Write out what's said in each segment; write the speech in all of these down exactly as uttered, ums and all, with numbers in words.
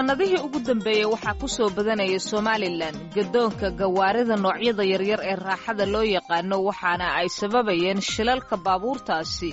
Sannadihii ugu dambeeyey waxaa ku soo badanaya Somalilan gadoonka gawaarida noocyada yaryar ee raaxada loo yaqaano, waxaana ay sababayeen shilalka baabuurtaasi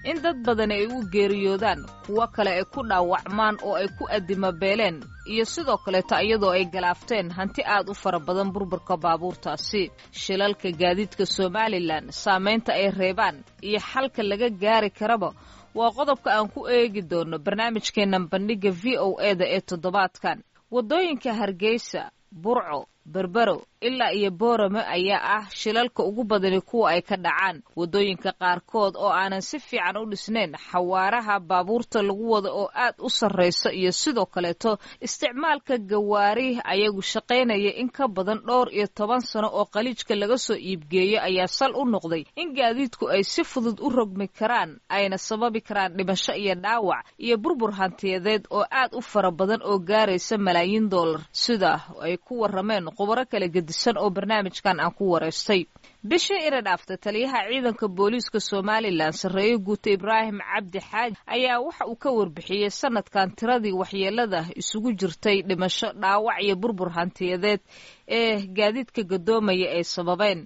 in dad badani ay u geeriyoodaan, kuwo kale ay ku dhaawacmaan oo ay ku adimabeeleen, iyo sidoo kaleeto iyadoo ay galaafteen hanti aad u fara badan burburka baabuurtaasi. Shilalka gaadiidka Somalilan saamaynta ay reebaan iyo xalka laga gaari karaba waa qodobka aan ku eegi doono barnaamijkeennan Bandhigga V O E da ee toddobaadkan. Waddooyinka Hargeysa, Burco, Berbero ilaa iyo Boorame ayaa ah shilalka ugu badani kuwa ay ka dhacaan. Waddooyinka qaarkood oo aanan si fiican u dhisnayn, xawaaraha baabuurta lagu wado oo aad u sarraysa, iyo sidoo kaleeto isticmaalka gawaari ayagu shaqaynaya in ka badan dhowr iyo toban sano oo qaliijka laga soo iibgeeyo ayaa sal u noqday in gaadiidku ay si fudud u rogmi karaan, ayna sababi karaan dhimasho iyo dhaawac iyo burbur hantiyadeed oo aad u fara badan oo gaaraysa malaayiin dollar, sida ay ku warrameen khubaro kala gedisan oo barnaamijkan aan ku wareystay. Bishii ina dhaaftay, taliyaha ciidanka booliiska Somalilan, sarreeye guuta Ibraahim Cabdi Xaaji, ayaa waxa uu ka warbixiyey sanadkan tiradii waxyeelada isugu jirtay dhimasho, dhaawac iyo burbur hantiyadeed ee gaadiidka gadoomaya ay sababeen.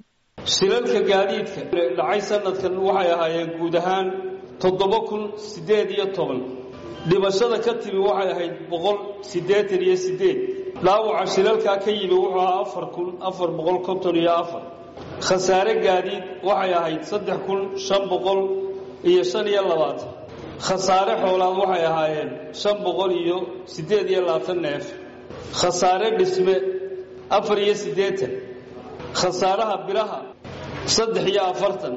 Shilalka gaadiidka dhacay sanadkan waxay ahaayeen guud ahaan toddoba kun siddeed iyo toban. Dhimashada ka timi waxay ahayd boqol siddeetan iyo siddeed. Dhaawaca shilalkaa ka yimi wuxuu ahaa afar kun afar boqol konton iyo afar. Khasaare gaadiid waxay ahayd saddex kun shan boqol iyo shan iyo labaatan. Khasaare xoolaad waxay ahaayeen shan boqol iyo siddeed iyo labaatan neef. Khasaare dhisme afar iyo siddeetan. Khasaaraha biraha saddex iyo afartan.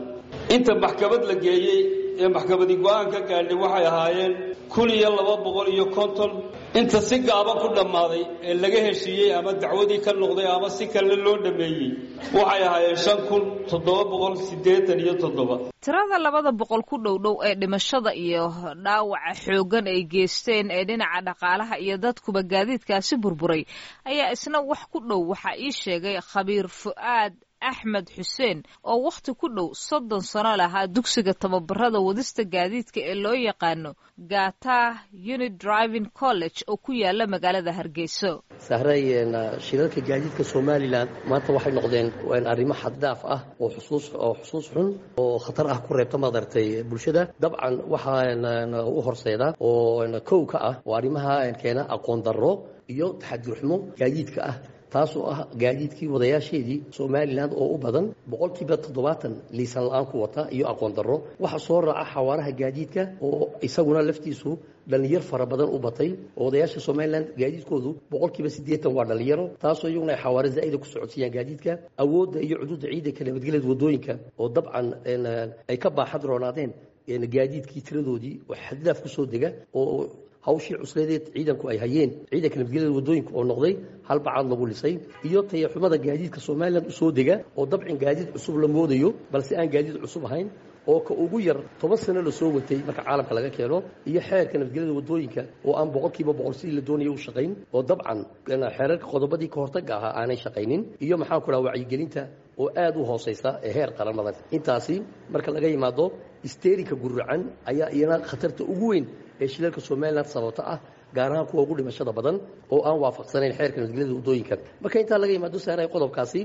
Inta maxkamad la geeyey ee maxkamadi go'aan ka gaadhay waxay ahaayeen kun iyo laba boqol iyo konton. Inta si gaaban ku dhammaaday ee laga heshiiyey ama dacwadii ka noqday ama si kale loo dhameeyey waxay ahaayeen shan kun toddoba boqol siddeetan iyo toddoba. Tirada labada boqol ku dhow dhow ee dhimashada iyo dhaawaca xooggan ay geysteen ee dhinaca dhaqaalaha iyo dadkuba gaadiidkaasi burburay ayaa isna wax ku dhow waxaa ii sheegay khabiir Fu'aad Axmed Xuseen oo wakhti ku dhow soddon sano lahaa dugsiga tababarada wadista gaadiidka ee loo yaqaano Gata Unit Driving College oo ku yaala magaalada Hargeyso. Sahray, shilalka gaadiidka Somalilan maanta waxay noqdeen arrimo xaddaaf ah oo xusuus oo xusuus xun oo khatar ah ku reebta madartay bulshada. Dabcan waxaa u horseeda oo kow ka ah oo arrimaha keena aqoon darro iyo taxadir xumo gaadiidka ah, taasoo ah gaadiidkii wadayaasheedii Somalilan oo u badan boqolkiiba toddobaatan liisan la'aan ku wata iyo aqoon darro. Waxaa soo raaca xawaaraha gaadiidka oo isaguna laftiisu dhallinyar fara badan u batay, oo wadayaasha Somalilan gaadiidkoodu boqolkiiba siddeetan waa dhallinyaro, taasoo iyaguna ay xawaare zaa'ida ku socodsiiyaan gaadiidka. Awoodda iyo cuduudda ciidanka nabadgelyada waddooyinka oo dabcan ay ka baaxad roonaadeen gaadiidkii tiradoodii oo xaddaaf ku soo dega, oo hawshii cusleedeed ciidanku ay hayeen, ciidanka nabadgelyada waddooyinka, oo noqday hal bacaad lagu lisay, iyo tayaxumada gaadiidka Somalilan usoo dega oo dabcin gaadiid cusub la moodayo balse aan gaadiid cusub ahayn, oo ka ugu yar toban sano la soo watay marka caalamka laga keeno, iyo xeerka nabadgelyada waddooyinka oo aan boqolkiiba boqol sidii la doonaya u shaqayn, oo dabcan xeerarka qodobadii ka hortagga ahaa aanay shaqaynin, iyo maxaan ku dhaha wacyigelinta oo aad u hooseysa ee heer qaran. Intaasi marka laga yimaado, isteerinka guracan ayaa iyana khatarta ugu weyn ee shilalka Somalilan sababta ah, gaar ahaan kuwa ugu dhimashada badan, oo aan waafaqsanayn xeerka nabadgelyada waddooyinka. Marka intaa laga yimaado, saaray, qodobkaasi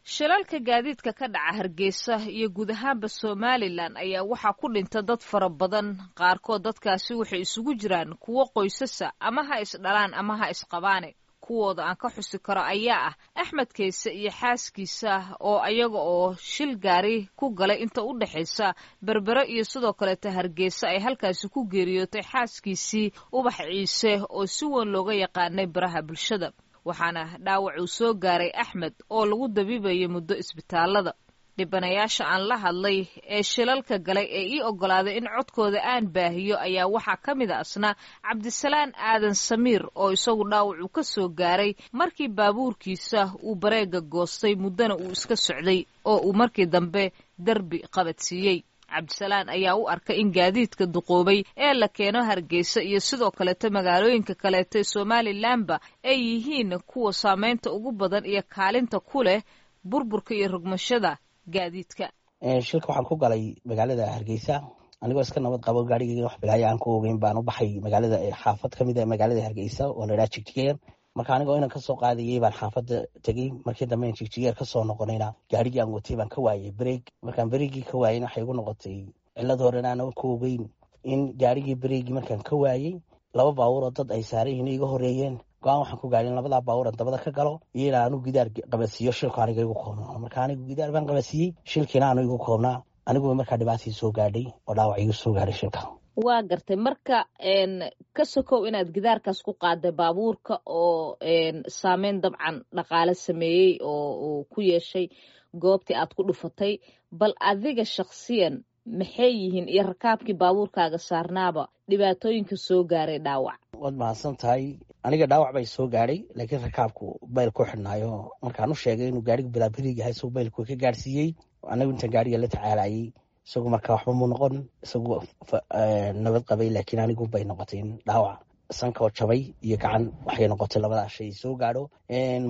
Shilalka gaadiidka ka dhaca Hargeysa iyo guud ahaanba Somalilan ayaa waxaa ku dhinta dad fara badan. Qaarkood dadkaasi waxay isugu jiraan kuwo qoysasa, ama ha isdhalaan ama ha isqabaane. Kuwooda aan ka xusi karo ayaa ah Axmed Keyse iyo xaaskiisa oo ayaga oo shil gaari ku galay inta u dhexaysa Berbere iyo sidoo kaleeta Hargeysa ay halkaasi ku geeriyootay xaaskiisii Ubax Ciise oo si weyn looga yaqaanay baraha bulshada, waxaana dhaawac uu soo gaaray Axmed oo lagu dabiibayay muddo isbitaalada. Dhibanayaasha aan la hadlay ee shilalka galay ee ii oggolaaday in codkooda aan baahiyo ayaa waxaa ka mid a asna Cabdisalaan Aadan Samiir oo isagu dhaawac uu ka soo gaaray markii baabuurkiisa uu bareega goostay, muddana uu iska socday oo uu markii dambe derbi qabadsiiyey. Cabdisalaan ayaa u arkay in gaadiidka duqoobay ee la keeno Hargeysa iyo sidoo kaleeto magaalooyinka kaleeto ee Somalilanba ay yihiin kuwa saameynta ugu badan iyo kaalinta ku leh burburka iyo rogmashada gaadiidka. Shilka waxaan ku galay magaalada Hargeysa. Anigoo iska nabad qabo, gaarigeyga wax bilaayo aan ku ogeyn, baan u baxay magaalada, xaafad kamid a magaalada Hargeysa oo la idhaha Jigjigeer. Marka anigoo inan kasoo qaadayey baan xaafadda tegey. Markii dambe Jigjigeer kasoo noqonayna, gaarigii aan watay baan ka waayey brake. Markaan brakegii ka waayeyna, waxay igu noqotay cilad horena aanan ku ogeyn in gaarigii brakegii markaan ka waayey, laba baabuur oo dad ay saaran yihiin iga horeeyeen. Go-aan waxaan ku gaadhay in labadaa baabuur aan dabada ka galo iyo in aanu gidaar qabadsiiyo, shilku aniga igu koobnaa. Marka anigu gidaar baan qabadsiiyey, shilkiina aanu igu koobnaa. Anigu markaa dhibaatii soo gaadhay oo dhaawac igu soo gaadhay shilka. Waa gartay. Marka ka sokow inaad gidaarkaas ku qaaday baabuurka oo saameyn dabcan dhaqaale sameeyey oo uu ku yeeshay goobtii aad ku dhufatay, bal adiga shakhsiyan maxay yihiin iyo rakaabkii baabuurkaaga saarnaaba dhibaatooyinka soo gaaray dhaawac? Waad mahadsan tahay. Aniga dhaawac bay soo gaadhay, laakiin rakaabku belt ku xidhnaayo. Markaan u sheegay inuu gaarigu bilaa brake yahay, isagu beltku ka gaadhsiiyey. Anagu intaan gaariga la tacaalayay, isagu marka waxba muu noqon, isagu nabad qabay, laakiin anigu bay noqotay in dhaawac sankoo jabay iyo gacan waxay noqotay labadaa shay soo gaadho.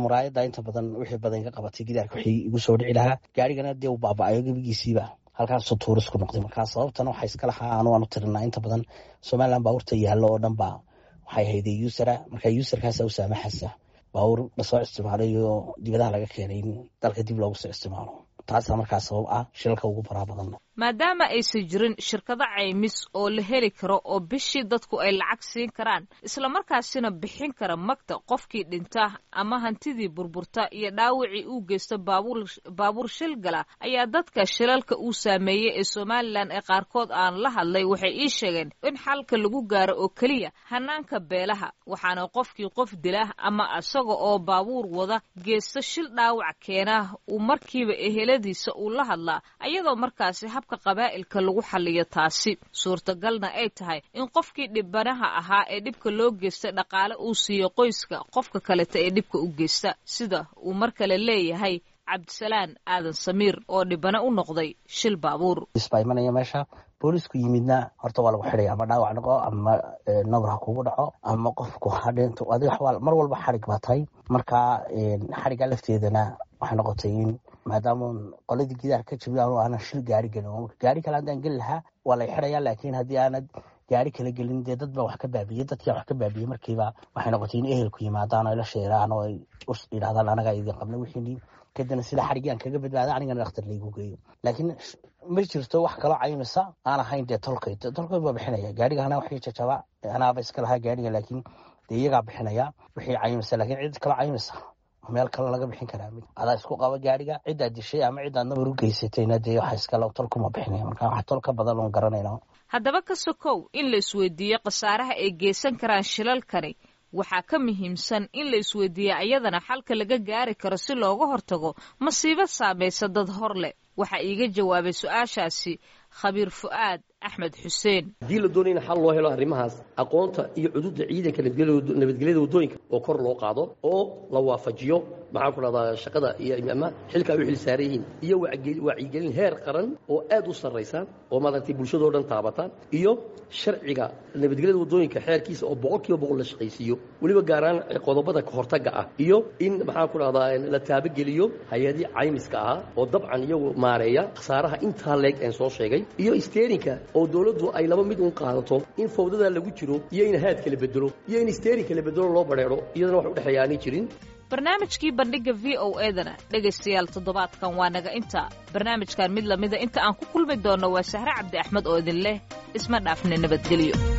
Muraayadda inta badan wixii badan ka qabatay gidaarka wixii igu soo dhici lahaa. Gaarigana dee uu baaba-ayo gebigiisiiba, halkaasuu tuuris ku noqday. Markaa sababtana waxaa iska lahaa anu aanu tirinaa inta badan Somaliland baabuurta yaallo oo dhan baa waxay hayday user a. Marka userkaasa u saamaxaysa baabuur lasoo isticmaalay oo dibadaha laga keenay in dalka dib loogu soo isticmaalo. Taasaa markaa sabab ah shilalka ugu faraha badan. Maadaama aysan jirin shirkado caymis oo la heli karo oo bishii dadku ay lacag siin karaan, islamarkaasina bixin kara magta qofkii dhinta ama hantidii burburta iyo dhaawacii uu geysto baabuur baabuur shil gala, ayaa dadka shilalka uu saameeyey ee Somaliland ee qaarkood aan la hadlay waxay ii sheegeen in xalka lagu gaaro oo keliya hanaanka beelaha, waxaana qofkii qof dila ama isaga oo baabuur wada geysto shil dhaawac keena uu markiiba eheladiisa uu la hadlaa, ayadoo markaasi habka qabaa'ilka lagu xaliyo taasi suurtagalna ay tahay in qofkii dhibanaha ahaa ee dhibka loo geystay dhaqaale uu siiyo qoyska qofka kaleta ee dhibka u geysta, sida uu mar kale leeyahay Cabdisalaan Aadan Samiir oo dhibano u noqday shil baabuur. Baa imanaya meesha, boolisku yimidna horta waa lagu xidhaya, ama dhaawac noqo ama nabar ha kugu dhaco ama qofku ha dhinto, adiga mar walba xarig baa tahay. Marka xarigga lafteedana waxay noqotay in maadaama qoladii gidaar ka jabiy anu aanan shil gaari gelin, gaari kale haddaan geli lahaa waa lay xidhaya, laakiin haddii aanad gaari kala gelin, dee dad baa wax ka baabiyey. Dadkii wax ka baabiyey markiiba waxay noqotay in ehelku yimaadaan oo ay la sheeraan oo ay yidhahdaan anagaa idin qabna wixiini. Kadibna sida xariggii aan kaga badbaada, anigana dhakhtar laygu geeyo. Laakiin ma jirto wax kaloo caymisa aan ahayn dee tolkay. Tolkay baa bixinaya gaariga, anaa wixii jajaba anaaba iska lahaa gaariga, laakiin dee iyagaa bixinaya wixii caymisa. Laakiin cid kaloo caymisa meel kale laga bixin karaa, adaa isku qaba gaariga ciddaad dishay ama ciddaad nabar u geysatayna, dee waxa iskale tolkuma bixinaya. Marka wax tol ka badan oon garanayna. Haddaba ka sokow in la isweydiiyo khasaaraha ay geysan karaan shilalkani, waxaa ka muhiimsan in la isweydiiyo ayadana xalka laga gaari karo si looga hortago masiibo saamaysa dad hor leh. Waxaa iiga jawaabay su-aashaasi khabiir Fu'aad Axmed Xuseen. Haddii la doonaya in xal loo helo arrimahaas, aqoonta iyo cududa ciidanka nabadgelyada waddooyinka oo kor loo qaado oo la waafajiyo, maxaan ku dhahdaa, shaqada iyo ama xilka ay u xil saaran yihiin, iyo wacyigelin heer qaran oo aad u sarraysa oo maaragtay bulshadoo dhan taabata, iyo sharciga nabadgelyada waddooyinka xeerkiisa oo boqol kiiba boqol la shaqaysiiyo, weliba gaaraan qodobada kahortagga ah, iyo in, maxaan ku dhahdaa, la taabageliyo hay-adii caymiska ahaa oo dabcan iyagu maareeya khasaaraha intaa leeg een soo sheegay, iyo steeringka oo dowladdu ay laba mid un qaadato: in fawdada lagu jiro iyo in haadka la bedelo iyo in steeringka la bedelo loo badheedho, iyadana wax udhexeeya aanay jirin. Barnaamijkii Bandhigga V O edana, dhegaystayaal, toddobaadkan waa naga inta. Barnaamijkan mid lamida inta aan ku kulmi doonno, waa Sahre Cabdi Axmed oo idin leh isma dhaafne, nabadgelyo.